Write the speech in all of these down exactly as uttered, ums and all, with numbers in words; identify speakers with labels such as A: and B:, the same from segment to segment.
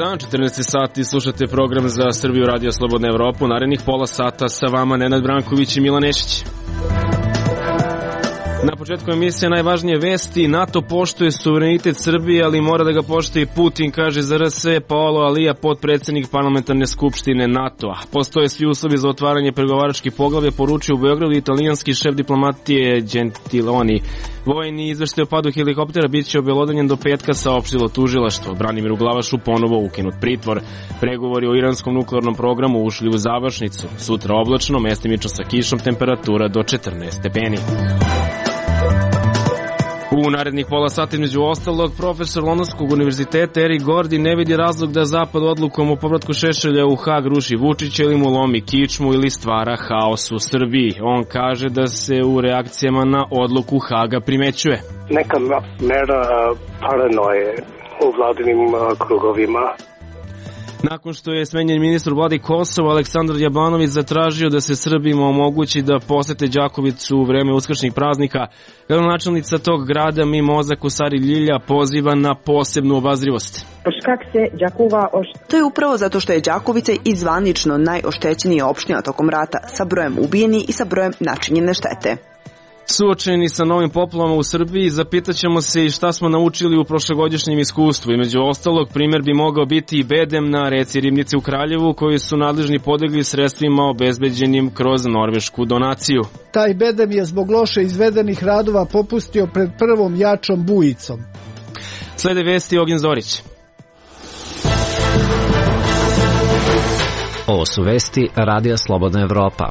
A: dan, četrnaesti sati, slušate program za Srbiju Radio Slobodna Evropa. Narednih pola sata sa vama Nenad Branković i Milan Nešić. Na početku emisije najvažnije vesti. NATO poštuje suverenitet Srbije, ali mora da ga poštuje Putin, kaže za R S, Paolo Alija, potpredsednik parlamentarne skupštine NATO-a. Postoje svi uslovi za otvaranje pregovaračkih poglavlja, poručio u Beogradu italijanski šef diplomatije Gentiloni. Vojni izveštaj o padu helikoptera bit će obelodanjen do petka, saopštilo tužilaštvo. Branimiru Glavašu ponovo ukinut pritvor. Pregovori o iranskom nuklearnom programu ušli u završnicu. Sutra oblačno, mestimično sa kišom, temperatura do četrnaest stepeni. U narednih pola sata između ostalog, profesor Londonskog univerziteta Eric Gordy ne vidi razlog da Zapad odlukom o povratku Šešelja u Hag ruši Vučića ili mu lomi kičmu ili stvara haos u Srbiji. On kaže da se u reakcijama na odluku Haga primećuje
B: neka mera paranoje u vladinim krugovima.
A: Nakon što je smenjen ministar vladi Kosova, Aleksandar Jablanović zatražio da se Srbima omogući da posete Đakovicu u vreme uskršnjih praznika, gradonačelnica tog grada Mimoza Kosari Ljilja poziva na posebnu obazrivost.
C: To je upravo zato što je Đakovica i zvanično najoštećenija opština tokom rata, sa brojem ubijeni i sa brojem načinjene štete.
A: Suočeni sa novim poplavama u Srbiji, zapitaćemo se i šta smo naučili u prošlogodišnjem iskustvu. I među ostalog, primjer bi mogao biti i bedem na reci Ribnici u Kraljevu, koji su nadležni podigli sredstvima obezbeđenim kroz norvešku donaciju.
D: Taj bedem je zbog loše izvedenih radova popustio pred prvom jačom bujicom.
A: Slede vesti Ognjen Zorić.
E: Ovo su vesti Radija Slobodna Evropa.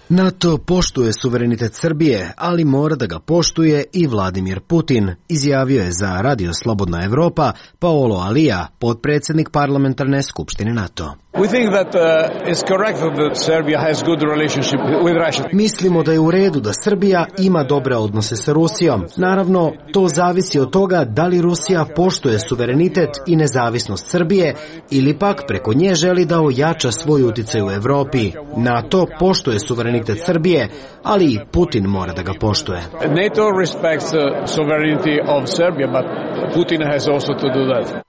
F: NATO poštuje suverenitet Srbije, ali mora da ga poštuje i Vladimir Putin, izjavio je za Radio Slobodna Evropa Paolo Alija, potpredsednik parlamentarne skupštine NATO. Mislimo da je u redu da Srbija ima dobre odnose sa Rusijom. Naravno, to zavisi od toga da li Rusija poštuje suverenitet i nezavisnost Srbije ili pak preko nje želi da ojača svoj uticaj u Evropi. NATO poštuje suverenitet Srbije, ali i Putin mora da ga poštuje.
G: NATO respects the sovereignty of Serbia, but Putin has also to do that.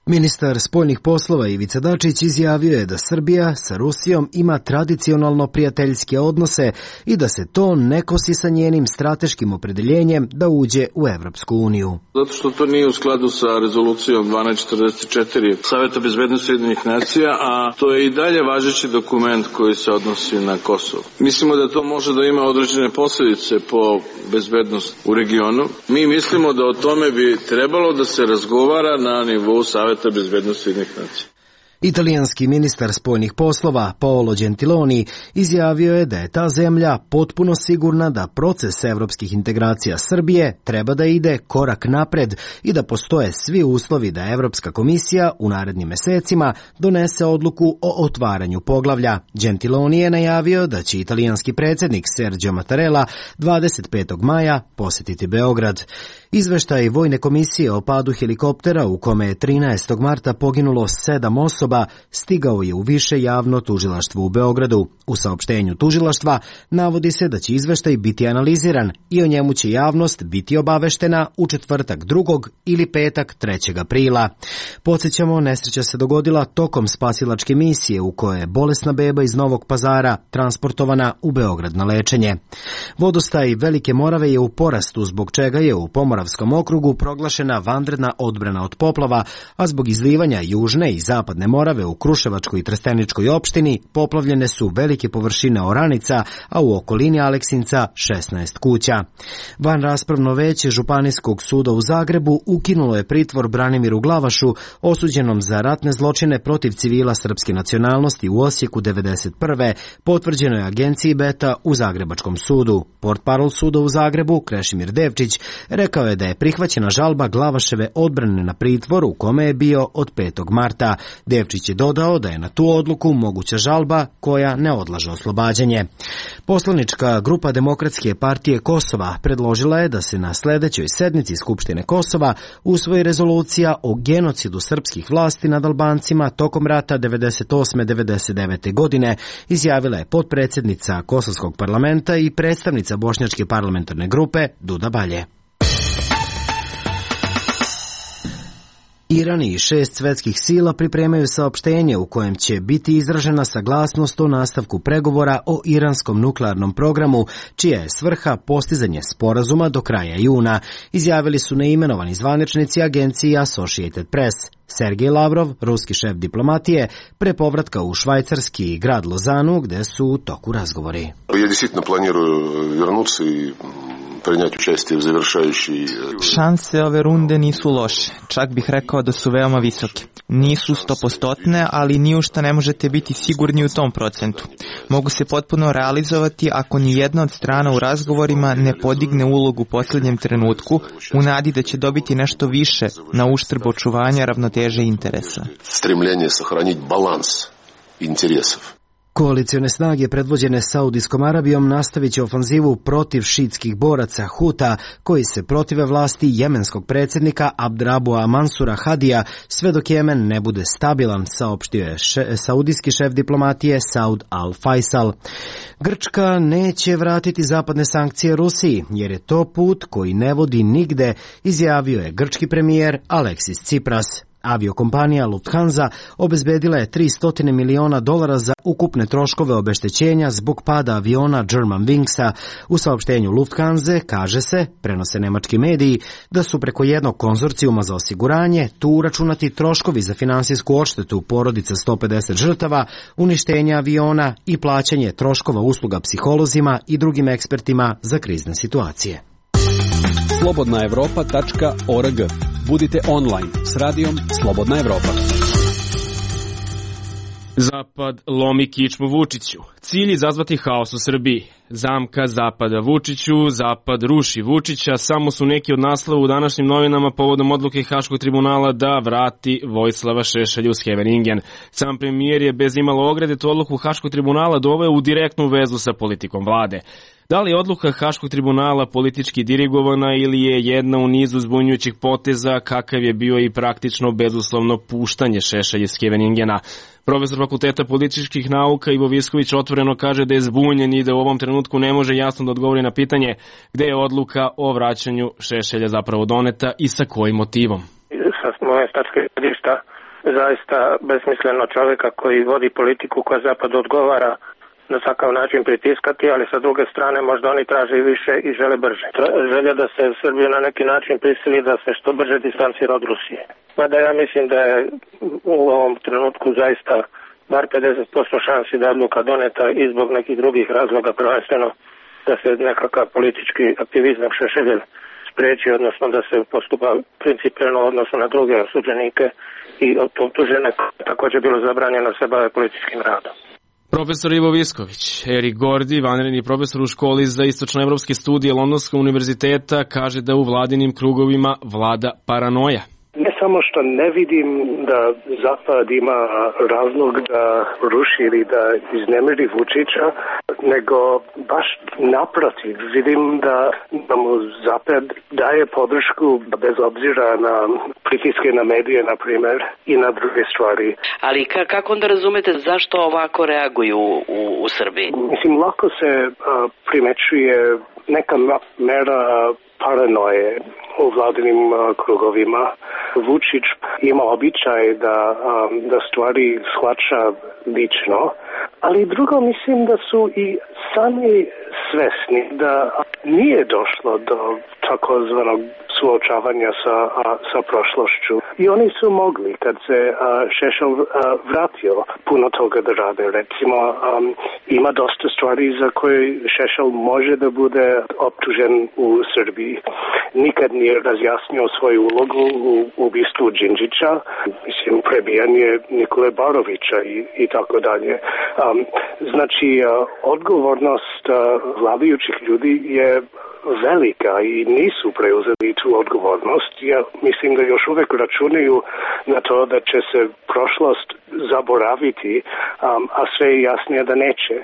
F: Ministar spoljnih poslova Ivica Dačić izjavio je da Srbija sa Rusijom ima tradicionalno prijateljske odnose i da se to ne kosi sa njenim strateškim opredeljenjem da uđe u Evropsku uniju.
H: Zato što to nije u skladu sa rezolucijom dvanaest četrdeset četiri Saveta bezbednosti Ujedinjenih nacija, a to je i dalje važeći dokument koji se odnosi na Kosovo. Mislimo da to može da ima određene posljedice po bezbednost u regionu. Mi mislimo da o tome bi trebalo da se razgovara na nivou Saveta bezbednosti Ujedinjenih nacija.
F: Italijanski ministar spoljnih poslova Paolo Gentiloni izjavio je da je ta zemlja potpuno sigurna da proces evropskih integracija Srbije treba da ide korak napred i da postoje svi uslovi da Evropska komisija u narednim mesecima donese odluku o otvaranju poglavlja. Gentiloni je najavio da će italijanski predsjednik Sergio Mattarella dvadeset petog maja posetiti Beograd. Izveštaj Vojne komisije o padu helikoptera u kome je trinaestog marta poginulo sedam osoba stigao je u više javno tužilaštvo u Beogradu. U saopštenju tužilaštva navodi se da će izveštaj biti analiziran i o njemu će javnost biti obaveštena u četvrtak drugog ili petak trećeg aprila. Podsjećamo, nesreća se dogodila tokom spasilačke misije u kojoj je bolesna beba iz Novog Pazara transportovana u Beograd na lečenje. Vodostaj Velike Morave je u porastu, zbog čega je u Pomoravskom okrugu proglašena vanredna odbrana od poplava, a zbog izlivanja južne i zapadne Morave u Kruševačkoj i Trsteničkoj opštini poplavljene su velike površine oranica, a u okolini Aleksinca šesnaest kuća. Van raspravno veće Županijskog suda u Zagrebu ukinulo je pritvor Branimiru Glavašu, osuđenom za ratne zločine protiv civila srpske nacionalnosti u Osijeku devedeset prve, potvrđeno je agenciji Beta u Zagrebačkom sudu. Portparol suda u Zagrebu, Krešimir Devčić, rekao je da je prihvaćena žalba Glavaševe odbrane na pritvor u kome je bio od petog marta. Devčić je dodao da je na tu odluku moguća žalba koja ne odlaže oslobađanje. Poslanička grupa Demokratske partije Kosova predložila je da se na sledećoj sednici Skupštine Kosova usvoji rezolucija o genocidu srpskih vlasti nad Albancima tokom rata devedeset osme devedeset devete godine, izjavila je potpredsjednica Kosovskog parlamenta i predstavnica Bošnjačke parlamentarne grupe Duda Balje. Iran i šest svetskih sila pripremaju saopštenje u kojem će biti izražena saglasnost o nastavku pregovora o iranskom nuklearnom programu, čija je svrha postizanje sporazuma do kraja juna, izjavili su neimenovani zvaničnici agencije Associated Press. Sergej Lavrov, ruski šef diplomatije, pre povratka u švajcarski grad Lozanu, gde su u toku razgovori.
I: Ja действительно планирую вернуться и принять участие в завершающей...
J: Šanse ove runde nisu loše, čak bih rekao da su veoma visoke. Nisu stopostotne, ali ni u šta ne možete biti sigurni u tom procentu. Mogu se potpuno realizovati ako ni jedna od strana u razgovorima ne podigne ulogu u posljednjem trenutku u nadi da će dobiti nešto više na uštrb očuvanja ravnoteže interesa.
I: Stремljenje sahraniti balans interesov.
F: Koalicione snage predvođene Saudijskom Arabijom nastavit će ofanzivu protiv šiitskih boraca Huta koji se protive vlasti jemenskog predsjednika Abdrabua Mansura Hadija sve dok Jemen ne bude stabilan, saopštio je še, saudijski šef diplomatije Saud al-Faisal. Grčka neće vratiti zapadne sankcije Rusiji jer je to put koji ne vodi nigde, izjavio je grčki premijer Aleksis Tsipras. Aviokompanija Lufthansa obezbedila je tristo miliona dolara za ukupne troškove obeštećenja zbog pada aviona Germanwingsa. U saopštenju Lufthansa kaže se, prenose nemački mediji, da su preko jednog konzorcijuma za osiguranje tu uračunati troškovi za finansijsku odštetu porodica sto pedeset žrtava, uništenje aviona i plaćanje troškova usluga psiholozima i drugim ekspertima za krizne situacije.
K: slobodna evropa tačka org. Budite online s radijom Slobodna Evropa.
A: Zapad lomi kičmu Vučiću. Cilj izazvati haos u Srbiji. Zamka Zapada Vučiću, Zapad ruši Vučića, samo su neki od naslova u današnjim novinama povodom odluke Haškog tribunala da vrati Vojislava Šešelja u Scheveningen. Sam premijer je bez imalo ograde tu odluku Haškog tribunala doveo u direktnu vezu sa politikom vlade. Da li je odluka Haškog tribunala politički dirigovana ili je jedna u nizu zbunjujućih poteza, kakav je bio i praktično bezuslovno puštanje Šešelja iz Scheveningena? Profesor Fakulteta političkih nauka Ivo Visković otvoreno kaže da je zbunjen i da u ovom trenutku ne može jasno da odgovori na pitanje gde je odluka o vraćanju Šešelja zapravo doneta i sa kojim motivom.
L: Sa moje tačke gledišta zaista besmisleno čovjeka koji vodi politiku koja Zapad odgovara na takav način pritiskati, ali sa druge strane možda oni traže više i žele brže. Želja da se Srbiju na neki način prisili da se što brže distancira od Rusije. Mada ja mislim da je u ovom trenutku zaista bar pedeset posto šansi da je odluka doneta i zbog nekih drugih razloga, prvenstveno da se nekakav politički aktivizam Šešelja spreči, odnosno da se postupa principijelno odnosno na druge osuđenike i optužene također bilo zabranjeno se bave političkim radom.
A: Profesor Ivo Visković, Erik Gordi, vanredni profesor u školi za istočnoevropske studije Londonskog univerziteta, kaže da u vladinim krugovima vlada paranoja.
B: Ne samo što ne vidim da Zapad ima razlog da ruši ili da iznemiri Vučića, nego baš naprotiv. Vidim da, da mu Zapad daje podršku bez obzira na pritiske na medije, na primjer, i na druge stvari.
M: Ali ka- kako onda razumete zašto ovako reaguju u, u Srbiji?
B: Mislim, lako se a, primećuje neka mera paranoje u vladinim uh, krugovima. Vučić ima običaj da, um, da stvari shvaća lično, ali drugo mislim da su i sami svesni da nije došlo do takozvanog suočavanja sa, a, sa prošlošću. I oni su mogli, kad se a, Šešelj a, vratio, puno toga da rade. Recimo, um, ima dosta stvari za koje Šešelj može da bude optužen u Srbiji. Nikad nije razjasnio svoju ulogu u ubistvu Đinđića, mislim, prebijanje Nikole Barovića i, i tako dalje. Um, znači, a, odgovornost a, vladajućih ljudi je velika i nisu preuzeli tu odgovornost. Ja mislim da još uvek računaju na to da će se prošlost zaboraviti, um, a sve je jasnije da neće.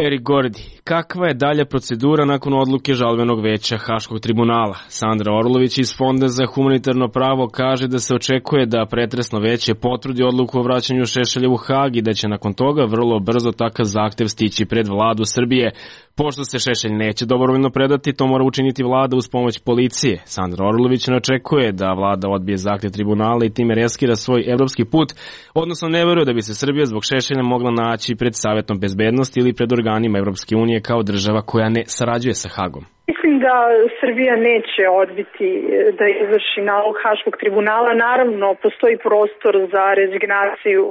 A: Erik Gordi, kakva je dalja procedura nakon odluke žalbenog veća Haškog tribunala? Sandra Orlović iz Fonda za humanitarno pravo kaže da se očekuje da pretresno veće potvrdi odluku o vraćanju Šešelja u Hag i da će nakon toga vrlo brzo takav zahtev stići pred vladu Srbije. Pošto se Šešelj neće dobrovoljno predati, to mora učiniti vlada uz pomoć policije. Sandra Orlović ne očekuje da vlada odbije zahtjev tribunala i time reskira svoj evropski put, odnosno ne veruje da bi se Srbija zbog Šešelja mogla naći pred Savetom bezbednosti ili pred organima Evropske unije kao država koja ne sarađuje sa Hagom.
N: Mislim da Srbija neće odbiti da izvrši nalog Haškog tribunala. Naravno, postoji prostor za rezignaciju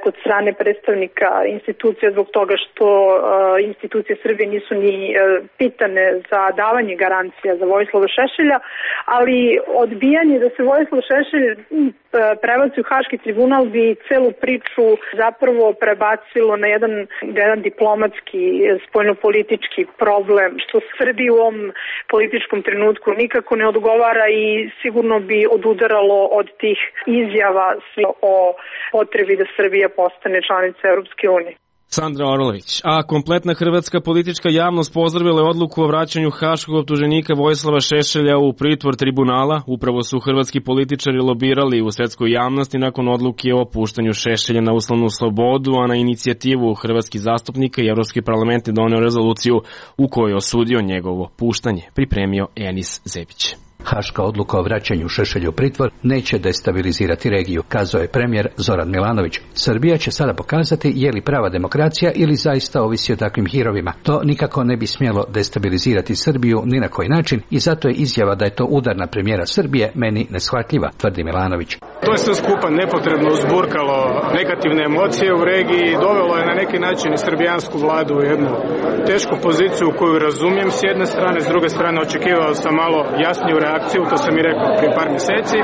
N: kod strane predstavnika institucija zbog toga što uh, institucije Srbije nisu ni uh, pitane za davanje garancija za Vojislava Šešelja, ali odbijanje da se Vojislav Šešelj uh, prebaci u Haški tribunal bi celu priču zapravo prebacilo na jedan, jedan diplomatski, spoljnopolitički problem, što Srbiji u ovom političkom trenutku nikako ne odgovara i sigurno bi odudaralo od tih izjava o potrebi da Srbija postane članica Europske unije.
A: Sandra Orlović. A kompletna hrvatska politička javnost pozdravila je odluku o vraćanju haškog optuženika Vojislava Šešelja u pritvor tribunala. Upravo su hrvatski političari lobirali u svetskoj javnosti nakon odluke o puštanju Šešelja na uslovnu slobodu, a na inicijativu hrvatskih zastupnika i Evropski parlament je doneo rezoluciju u kojoj je osudio njegovo puštanje, pripremio Enis Zebić.
O: Haška odluka o vraćanju Šešelja u pritvor neće destabilizirati regiju, kazao je premijer Zoran Milanović. Srbija će sada pokazati je li prava demokracija ili zaista ovisi o takvim hirovima. To nikako ne bi smjelo destabilizirati Srbiju ni na koji način i zato je izjava da je to udar na premijera Srbije meni neshvatljiva, tvrdi Milanović.
P: To je sve skupa nepotrebno uzburkalo negativne emocije u regiji i dovelo je na neki način i srbijansku vladu u jednu tešku poziciju koju razumijem s jedne strane, s druge strane očekivao sam malo jasniju reakciju, to sam i rekao prije par mjeseci.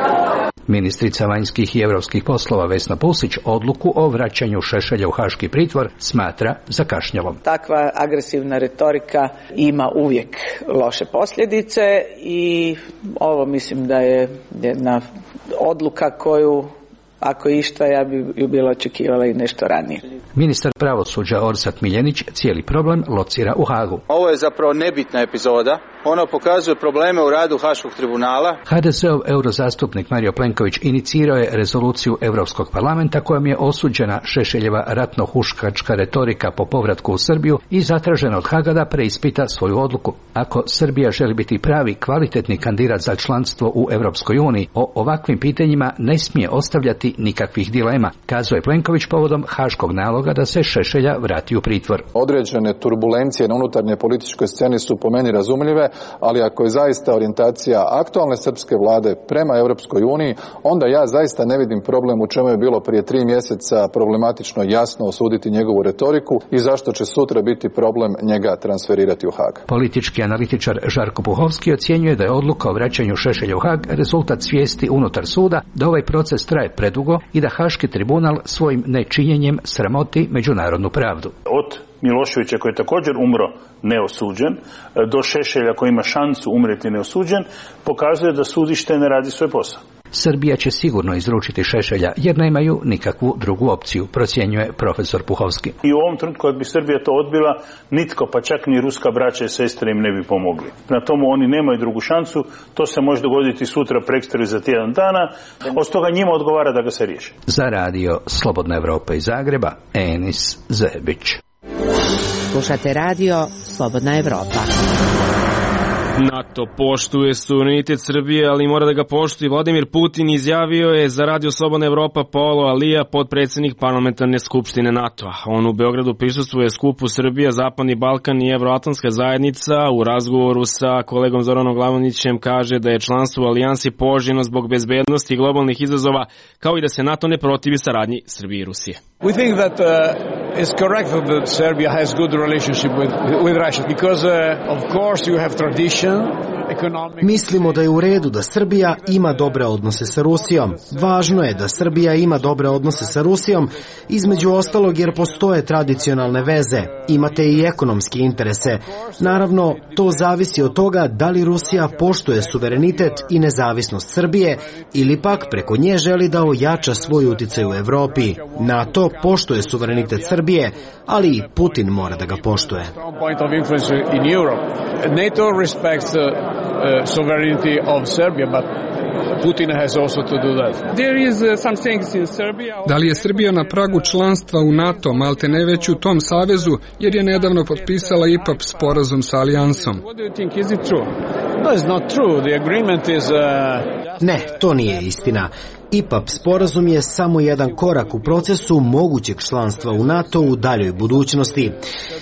O: Ministrica vanjskih i europskih poslova Vesna Pusić odluku o vraćanju Šešelja u haški pritvor smatra zakašnjelom.
Q: Takva agresivna retorika ima uvijek loše posljedice i ovo mislim da je jedna odluka koju, ako išta, ja bi ju bila očekivala i nešto ranije.
O: Ministar pravosuđa Orsat Miljenić cijeli problem locira u Hagu.
R: Ovo je zapravo nebitna epizoda. Ono pokazuje probleme u radu Haškog tribunala.
O: ha de se-ov eurozastupnik Mario Plenković inicirao je rezoluciju Europskog parlamenta kojom je osuđena Šešeljeva ratno-huškačka retorika po povratku u Srbiju i zatražena od Haga da preispita svoju odluku. Ako Srbija želi biti pravi, kvalitetni kandidat za članstvo u Europskoj uniji, o ovakvim pitanjima ne smije ostavljati nikakvih dilema, kazao je Plenković povodom haškog naloga da se Šešelja vrati u pritvor.
S: Određene turbulencije na unutarnje političkoj sceni su po meni razumljive, ali ako je zaista orijentacija aktualne srpske vlade prema Europskoj uniji, onda ja zaista ne vidim problem u čemu je bilo prije tri mjeseca problematično jasno osuditi njegovu retoriku i zašto će sutra biti problem njega transferirati u Hag.
O: Politički analitičar Žarko Puhovski ocjenjuje da je odluka o vraćanju Šešelja u Hag rezultat svijesti unutar suda da ovaj proces traje predugo i da Haški tribunal svojim nečinjenjem sramoti međunarodnu pravdu.
T: Od Miloševića koji je također umro neosuđen, do Šešelja koji ima šansu umreti neosuđen, pokazuje da sudište ne radi svoj posao.
O: Srbija će sigurno izručiti Šešelja jer nemaju nikakvu drugu opciju, procjenjuje profesor Puhovski.
T: I u ovom trenutku kad bi Srbija to odbila, nitko, pa čak ni ruska braća i sestre im ne bi pomogli. Na tomu oni nemaju drugu šansu, to se može dogoditi sutra, prekstra i za tjedan dana, od toga njima odgovara da ga se riješi.
O: Za radio Slobodna Evropa iz Zagreba, Enis Zebić.
U: Slušate radio Slobodna Evropa.
A: NATO poštuje suverenitet Srbije, ali mora da ga poštuje. Vladimir Putin izjavio je za radio Slobodna Evropa Paolo Alija, potpredsjednik parlamentarne skupštine NATO-a. On u Beogradu prisustvuje skupu Srbija, Zapadni Balkan i Evroatlantska zajednica. U razgovoru sa kolegom Zoranom Glavonićem kaže da je članstvo u alijansi poželjno zbog bezbednosti i globalnih izazova, kao i da se NATO ne protivi saradnji Srbije i Rusije.
G: We think that uh, it's correct that Serbia has good relationship with with Russia because uh, of course you have tradition.
F: Mislimo da je u redu da Srbija ima dobre odnose sa Rusijom. Važno je da Srbija ima dobre odnose sa Rusijom, između ostalog jer postoje tradicionalne veze, imate i ekonomske interese. Naravno, to zavisi od toga da li Rusija poštuje suverenitet i nezavisnost Srbije ili pak preko nje želi da ojača svoj uticaj u Evropi. NATO poštuje suverenitet Srbije, ali i Putin mora da ga poštuje.
G: NATO respects the uh, sovereignty of Serbia, but Putin has also to do that.
C: There is uh, some things in Serbia.
V: Da li je Srbija na pragu članstva u NATO, malte ne već u tom savezu, jer je nedavno potpisala I P A P sporazum sa alijansom?
C: What do you think? Is it true?
G: No, it's not true. The agreement is... Uh...
F: Ne, to nije istina. I P A P sporazum je samo jedan korak u procesu mogućeg članstva u NATO u daljoj budućnosti.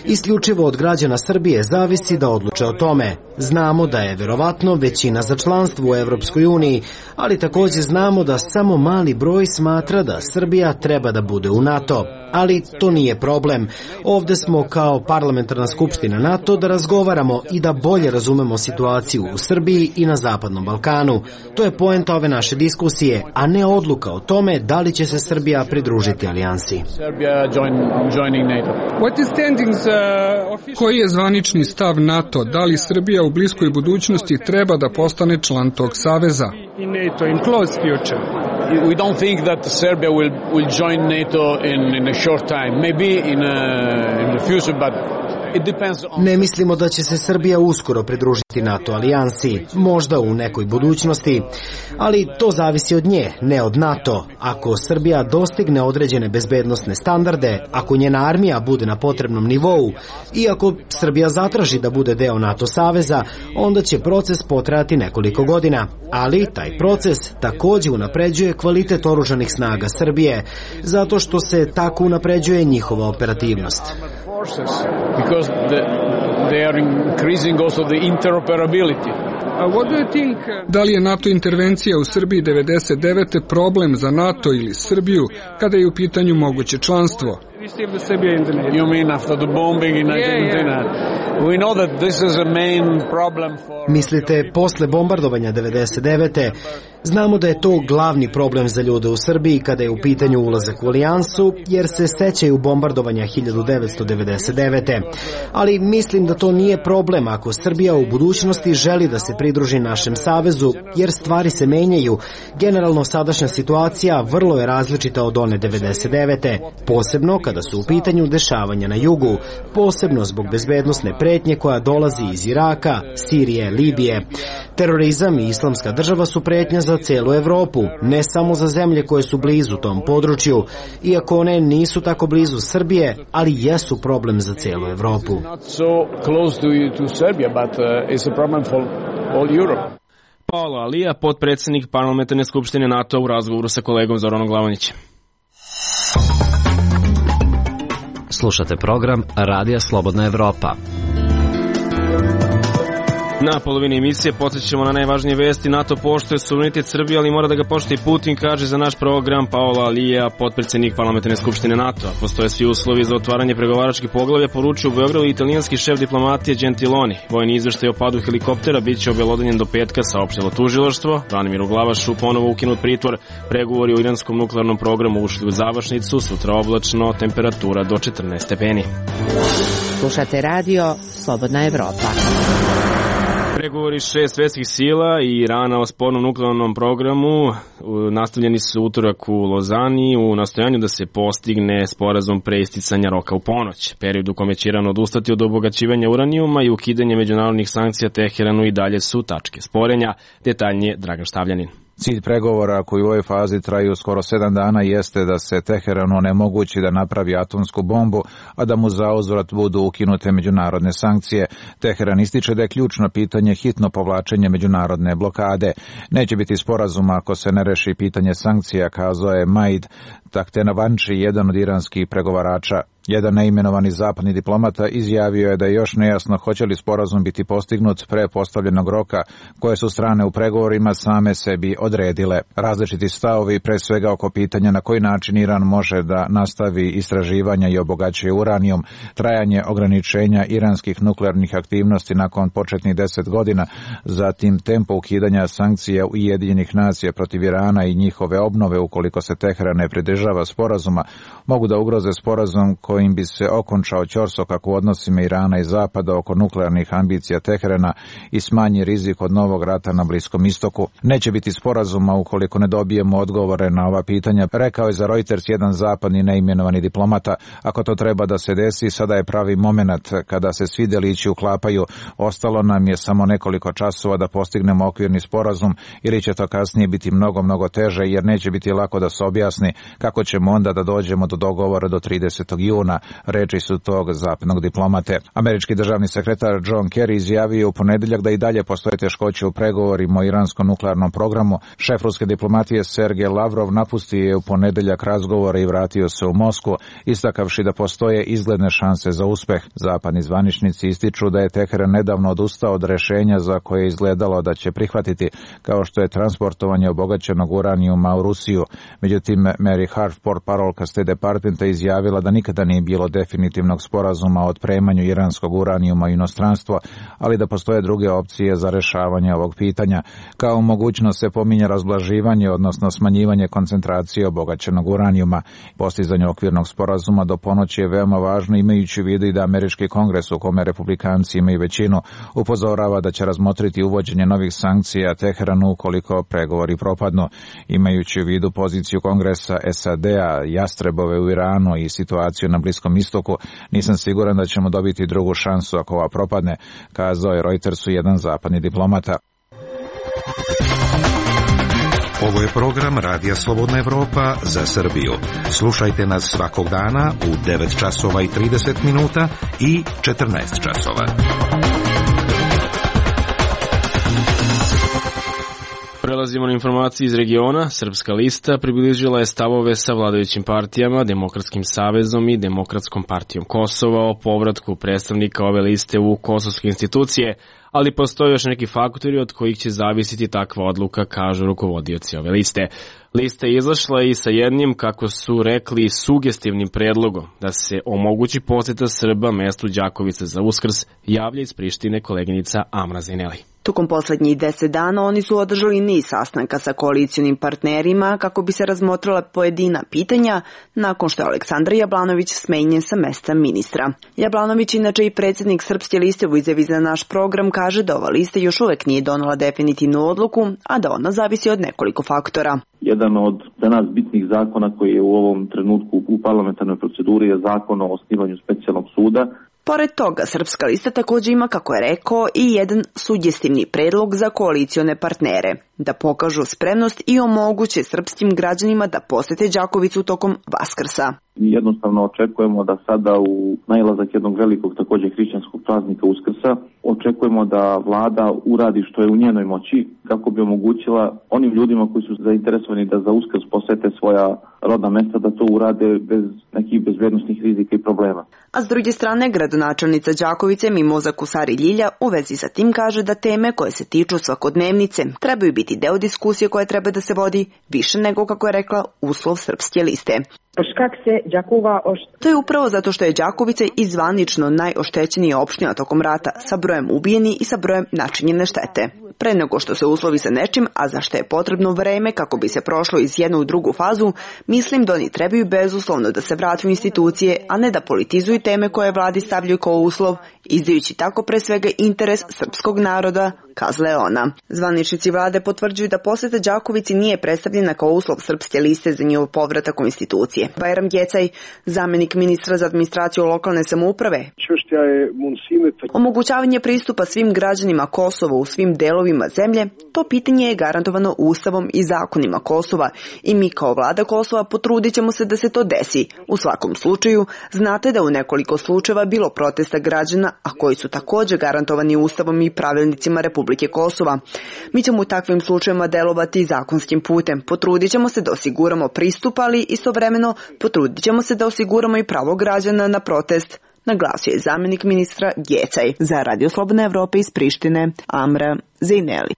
F: Isključivo od građana Srbije zavisi da odluče o tome. Znamo da je verovatno većina za članstvo u Evropskoj uniji, ali također znamo da samo mali broj smatra da Srbija treba da bude u NATO. Ali to nije problem. Ovde smo kao parlamentarna skupština NATO da razgovaramo i da bolje razumemo situaciju u Srbiji i na Zapadnom Balkanu. To je poenta ove naše diskusije, a ne odluka o tome da li će se Srbija pridružiti alijansi.
V: Koji je zvanični stav NATO? Da li Srbija u bliskoj budućnosti treba da postane član tog saveza?
G: We don't think that Serbia will will join NATO in in a short time, maybe in a, in the future, but
F: Ne mislimo da će se Srbija uskoro pridružiti NATO alijansi, možda u nekoj budućnosti, ali to zavisi od nje, ne od NATO. Ako Srbija dostigne određene bezbednosne standarde, ako njena armija bude na potrebnom nivou i ako Srbija zatraži da bude deo NATO saveza, onda će proces potrajati nekoliko godina. Ali taj proces također unapređuje kvalitet oružanih snaga Srbije, zato što se tako unapređuje njihova operativnost.
G: Because the, they are increasing also the interoperability.
V: Da li je NATO intervencija u Srbiji devedeset devete problem za NATO ili Srbiju kada je u pitanju moguće članstvo?
G: You mean after the bombing in Argentina? We know that this is a main problem for...
F: Mislite posle bombardovanja devedeset devete? Znamo da je to glavni problem za ljude u Srbiji kada je u pitanju ulazak u alijansu, jer se sećaju bombardovanja hiljadu devetsto devedeset devete. Ali mislim da to nije problem ako Srbija u budućnosti želi da se pridruži našem savezu, jer stvari se menjaju. Generalno sadašnja situacija vrlo je različita od one devedeset devete, posebno kada su u pitanju dešavanja na jugu, posebno zbog bezbednosne pretnje koja dolazi iz Iraka, Sirije, Libije. Terorizam i islamska država su pretnja za celu Evropu, ne samo za zemlje koje su blizu tom području, iako one nisu tako blizu Srbije, ali jesu problem za celu Evropu.
A: Paolo Alija, potpredsjednik Parlamentarne skupštine NATO u razgovoru sa kolegom Zoranom Glavonićem.
E: Slušate program Radija Slobodna Evropa.
A: Na polovini emisije podsjećamo na najvažnije vesti. NATO poštuje suverenitet Srbije, ali mora da ga poštuje i Putin, kaže za naš program Paolo Alija, potpredsjednik Parlamentarne skupštine NATO. Postoje svi uslovi za otvaranje pregovaračkih poglavlja, poručio u Beogradu italijanski šef diplomatije Gentiloni. Vojni izveštaj o padu helikoptera biće obelodanjen do petka, saopštilo tužilaštvo. Branimiru Glavašu ponovo ukinut pritvor. Pregovori o iranskom nuklearnom programu ušli u završnicu, sutra oblačno, temperatura do četrnaest stepeni.
U: Slušate radio Slobodna Evropa.
A: Pregovori šest svetskih sila i Irana o spornom nuklearnom programu nastavljeni su utorak u Lozani u nastojanju da se postigne sporazum pre isticanja roka u ponoć. Period u kome će Iran odustati od obogaćivanja uranijuma i ukidanje međunarodnih sankcija Teheranu i dalje su tačke sporenja. Detaljnije Dragan Štavljanin.
W: Cilj pregovora koji u ovoj fazi traju skoro sedam dana jeste da se Teheranu onemogući da napravi atomsku bombu, a da mu zauzvrat budu ukinute međunarodne sankcije. Teheran ističe da je ključno pitanje hitno povlačenje međunarodne blokade. Neće biti sporazuma ako se ne reši pitanje sankcija, kazao je Maid Tahtenavanči, jedan od iranskih pregovarača. Jedan neimenovani zapadni diplomata izjavio je da je još nejasno hoće li sporazum biti postignut pre postavljenog roka koje su strane u pregovorima same sebi odredile. Različiti stavovi, pre svega oko pitanja na koji način Iran može da nastavi istraživanja i obogaćuje uranijum, trajanje ograničenja iranskih nuklearnih aktivnosti nakon početnih deset godina, zatim tempo ukidanja sankcija Ujedinjenih nacija protiv Irana i njihove obnove ukoliko se Teheran ne pridržava pridržava sporazuma mogu da ugroze sporazum kojim bi se okončao ćorsokak u odnosima Irana i Zapada oko nuklearnih ambicija Teherana i smanji rizik od novog rata na Bliskom istoku. Neće biti sporazuma ukoliko ne dobijemo odgovore na ova pitanja, rekao je za Reuters jedan zapadni neimenovani diplomata. Ako to treba da se desi, sada je pravi moment kada se svi delići uklapaju. Ostalo nam je samo nekoliko časova da postignemo okvirni sporazum ili će to kasnije biti mnogo, mnogo teže jer neće biti lako da se objasni kako ćemo onda da dođemo do dogovora do tridesetog juna, reči su tog zapadnog diplomate. Američki državni sekretar John Kerry izjavio u ponedeljak da i dalje postoje teškoće u pregovorima o iranskom nuklearnom programu. Šef ruske diplomatije Sergej Lavrov napustio je u ponedeljak razgovore i vratio se u Moskvu, istakavši da postoje izgledne šanse za uspeh. Zapadni zvaničnici ističu da je Teheran nedavno odustao od rešenja za koje je izgledalo da će prihvatiti, kao što je transportovanje obogaćenog uranijuma u Rusiju. Međutim, Mary Harf, portparolka State Departmenta, izjavila da nikada nije bilo definitivnog sporazuma o otpremanju iranskog uranijuma u inostranstvo, ali da postoje druge opcije za rešavanje ovog pitanja. Kao mogućnost se pominje razblaživanje, odnosno smanjivanje koncentracije obogaćenog uranijuma. Postizanje okvirnog sporazuma do ponoći je veoma važno, imajući u vidu i da američki kongres, u kome republikanci imaju većinu, upozorava da će razmotriti uvođenje novih sankcija Teheranu ukoliko pregovori propadnu. Imajući u vidu poziciju kongresa S A D-a, jastrebove u Iranu i situaciju na Bliskom istoku, nisam siguran da ćemo dobiti drugu šansu ako ova propadne, kazao je Reutersu jedan zapadni diplomata.
D: Ovo je program Radija Slobodna Evropa za Srbiju. Slušajte nas svakog dana u devet časova i trideset minuta i četrnaest časova.
A: Prelazimo na informacije iz regiona. Srpska lista približila je stavove sa vladajućim partijama, Demokratskim savezom i Demokratskom partijom Kosova o povratku predstavnika ove liste u kosovske institucije, ali postoje još neki faktori od kojih će zavisiti takva odluka, kažu rukovodioci ove liste. Lista je izašla i sa jednim, kako su rekli, sugestivnim predlogom da se omogući poseta Srba mestu Đakovice za Uskrs, javlja iz Prištine koleginica Amra Zineli.
H: Tokom poslednjih deset dana oni su održali niz sastanka sa koalicijonim partnerima kako bi se razmotrila pojedina pitanja nakon što je Aleksandar Jablanović smenjen sa mesta ministra. Jablanović, inače i predsjednik Srpske liste, u izjavi za naš program kaže da ova lista još uvek nije donela definitivnu odluku, a da ona zavisi od nekoliko faktora.
J: Jedan od za nas bitnih zakona koji je u ovom trenutku u parlamentarnoj proceduri je zakon o osnivanju specijalnog suda.
H: Pored toga, Srpska lista također ima, kako je rekao, i jedan sugestivni predlog za koalicione partnere, da pokažu spremnost i omoguće srpskim građanima da posete Đakovicu tokom Vaskrsa.
J: Jednostavno očekujemo da sada u nailazak jednog velikog također hrišćanskog praznika Uskrsa očekujemo da vlada uradi što je u njenoj moći kako bi omogućila onim ljudima koji su zainteresovani da za Uskrs posete svoja rodna mesta da to urade bez nekih bezbednosnih rizika i problema.
H: A s druge strane, gradonačelnica Đakovice Mimoza Kusari Ljilja u vezi sa tim kaže da teme koje se tiču svakodnevnice trebaju biti deo diskusije koja treba da se vodi više nego, kako je rekla, uslov Srpske liste. To je upravo zato što je Đakovica i zvanično najoštećenija opština tokom rata sa brojem ubijeni i sa brojem načinjene štete. Pre nego što se uslovi sa nečim, a za što je potrebno vreme kako bi se prošlo iz jednu u drugu fazu, mislim da oni trebaju bezuslovno da se vrate u institucije, a ne da politizuju teme koje vladi stavljaju kao uslov, izdajući tako pre svega interes srpskog naroda, kazala je ona. Zvaničnici vlade potvrđuju da poseta Đakovici nije predstavljena kao uslov Srpske liste za njihov povratak u institucije. Bajram Gecaj, zamenik ministra za administraciju lokalne samouprave, omogućavanje pristupa svim građanima Kosova u svim delovima zemlje, to pitanje je garantovano Ustavom i zakonima Kosova i mi kao vlada Kosova potrudit ćemo se da se to desi. U svakom slučaju, znate da u nekoliko slučajeva bilo protesta građana, a koji su također garantovani Ustavom i pravilnicima Republike Kosova. Mi ćemo u takvim slučajevima delovati zakonskim putem. Potrudit ćemo se da osiguramo pristup, ali istovremeno potrudit ćemo se da osiguramo i pravo građana na protest, naglasio je zamjenik ministra Gecaj. Za Radio Slobodna Evropa iz Prištine, Amra Zejneli.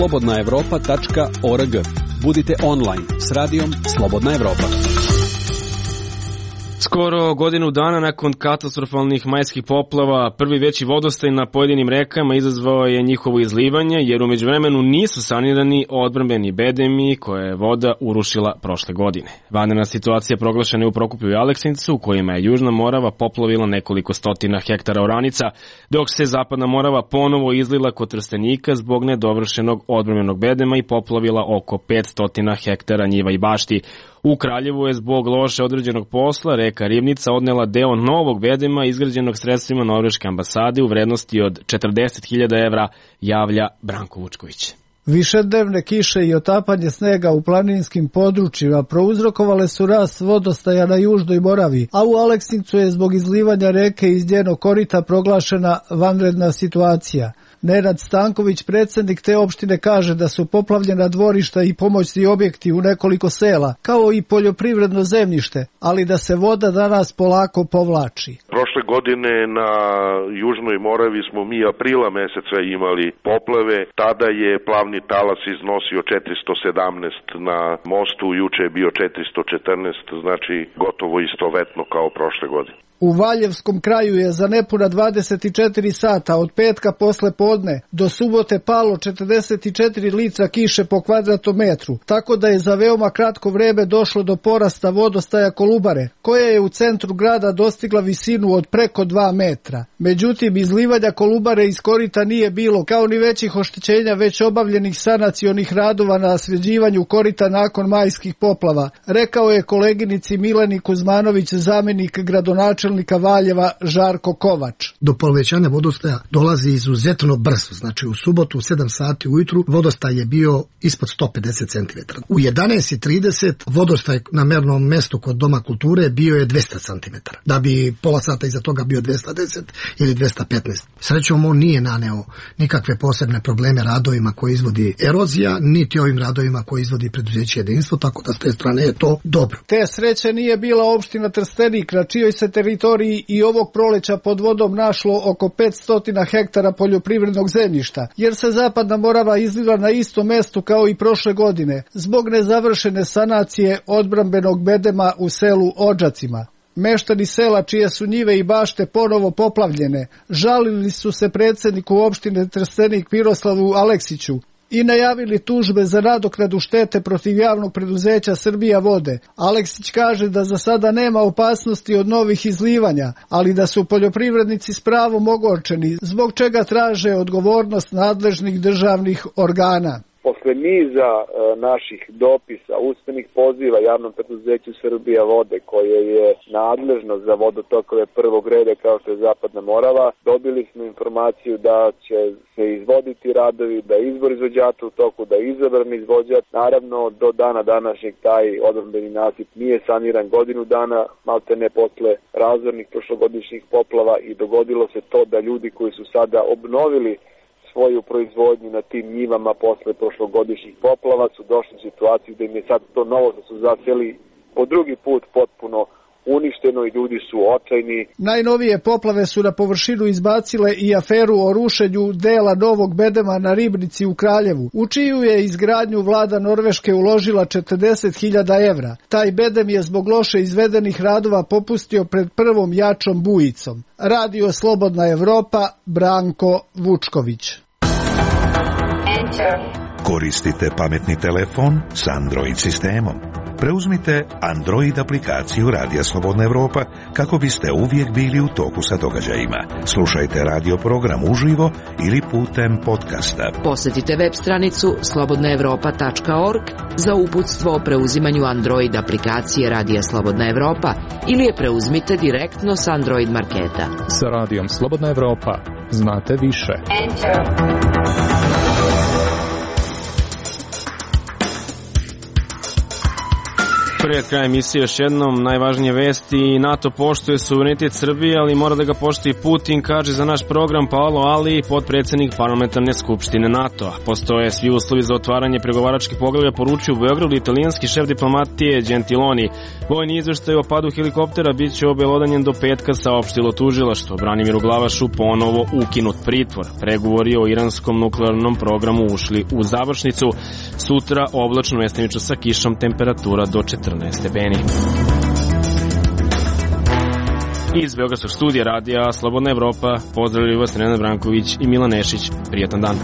K: slobodna evropa tačka org. Budite online s radijom Slobodna Evropa.
A: Skoro godinu dana nakon katastrofalnih majskih poplava, prvi veći vodostaj na pojedinim rekama izazvao je njihovo izlivanje, jer u međuvremenu nisu sanirani odbrambeni bedemi koje je voda urušila prošle godine. Vanredna situacija proglašena je u Prokuplju i Aleksincu, u kojima je Južna Morava poplavila nekoliko stotina hektara oranica, dok se Zapadna Morava ponovo izlila kod Trstenika zbog nedovršenog odbrambenog bedema i poplavila oko petsto hektara njiva i bašti. U Kraljevu je zbog loše određenog posla reka Ribnica odnela deo novog bedema izgrađenog sredstvima Norveške ambasade u vrednosti od četrdeset hiljada evra, javlja Branko Vučković.
I: Višednevne kiše i otapanje snega u planinskim područjima prouzrokovale su rast vodostaja na Južnoj Moravi, a u Aleksincu je zbog izlivanja reke iz njenog korita proglašena vanredna situacija. Nenad Stanković, predsjednik te opštine, kaže da su poplavljena dvorišta i pomoćni objekti u nekoliko sela, kao i poljoprivredno zemljište, ali da se voda danas polako povlači.
L: Prošle godine na Južnoj Moravi smo mi aprila meseca imali poplave, tada je plavni talas iznosio četiristo sedamnaest na mostu, juče je bio četiristo četrnaest, znači gotovo istovetno kao prošle godine.
I: U Valjevskom kraju je za nepuna dvadeset četiri sata od petka posle podne do subote palo četrdeset četiri litra kiše po kvadratnom metru, tako da je za veoma kratko vreme došlo do porasta vodostaja Kolubare, koja je u centru grada dostigla visinu od preko dva metra. Međutim, izlivanja Kolubare iz korita nije bilo, kao ni većih oštećenja već obavljenih sanacionih radova na sređivanju korita nakon majskih poplava, rekao je koleginici Mileni Kuzmanović, zamenik gradonačelnika Valjeva Žarko Kovač.
M: Do povećanja vodostaja dolazi izuzetno brzo, znači u subotu u sedam sati ujutru vodostaj je bio ispod sto pedeset centimetara. U jedanaest i trideset vodostaj na mernom mestu kod Doma kulture bio je dvesta centimetara, da bi pola sata iza toga bio dvesta deset ili dvesta petnaest. Srećom, on nije naneo nikakve posebne probleme radovima koje izvodi erozija, niti ovim radovima koje izvodi preduzeće Jedinstvo, tako da s te strane je to dobro.
I: Te sreće nije bila opština Trstenik, na čijoj se teritoriji i ovog proleća pod vodom našlo oko petsto hektara poljoprivrednog zemljišta, jer se Zapadna Morava izlila na istom mestu kao i prošle godine, zbog nezavršene sanacije odbrambenog bedema u selu Odžacima. Meštani sela čije su njive i bašte ponovo poplavljene žalili su se predsjedniku opštine Trstenik Miroslavu Aleksiću i najavili tužbe za nadoknadu štete protiv javnog preduzeća Srbija vode. Aleksić kaže da za sada nema opasnosti od novih izlivanja, ali da su poljoprivrednici s pravom ogorčeni, zbog čega traže odgovornost nadležnih državnih organa.
X: Posle niza e, naših dopisa, usmenih poziva javnom preduzeću Srbija vode, koje je nadležno za vodotokove prvog reda kao što je Zapadna Morava, dobili smo informaciju da će se izvoditi radovi, da je izbor izvođača u toku, da je izabran izvođač. Naravno, do dana današnjeg taj odbrambeni nasip nije saniran godinu dana, malte ne posle razornih prošlogodišnjih poplava, i dogodilo se to da ljudi koji su sada obnovili svoju proizvodnju na tim njivama posle prošlogodišnjih poplava su došli u situaciju da im je sad to novo što su zaseli po drugi put potpuno uništeno i ljudi su očajni.
I: Najnovije poplave su na površinu izbacile i aferu o rušenju dela novog bedema na Ribnici u Kraljevu, u čiju je izgradnju vlada Norveške uložila četrdeset hiljada evra. Taj bedem je zbog loše izvedenih radova popustio pred prvom jačom bujicom. Radio Slobodna Evropa, Branko Vučković.
D: Koristite pametni telefon s Android sistemom. Preuzmite Android aplikaciju Radija Slobodna Evropa kako biste uvijek bili u toku sa događajima. Slušajte radio program uživo ili putem podcasta.
U: Posjetite web stranicu slobodna evropa tačka org za uputstvo o preuzimanju Android aplikacije Radija Slobodna Evropa ili je preuzmite direktno s Android marketa.
Y: Sa Radijom Slobodna Evropa znate više. Enter.
A: Pred kraj emisije još jednom najvažnije vesti. NATO poštuje suverenitet Srbije, ali mora da ga poštuje Putin, kaže za naš program Paolo Ali, potpredsjednik parlamentarne skupštine NATO-a. Postoje svi uslovi za otvaranje pregovaračkih poglavlja, poručio u Beogradu italijanski šef diplomatije Gentiloni. Vojni izveštaj o padu helikoptera bit će obelodanjen do petka, saopštilo tužilaštvo. Branimiru Glavašu ponovo ukinut pritvor. Pregovori o iranskom nuklearnom programu ušli u završnicu. Sutra oblačno, mestimično sa kišom, temperatura do četrnaest stepeni. Iz Beogradskog studija radija Slobodna Evropa pozdravljaju vas Nenad Branković i Milan Nešić. Prijetan dan.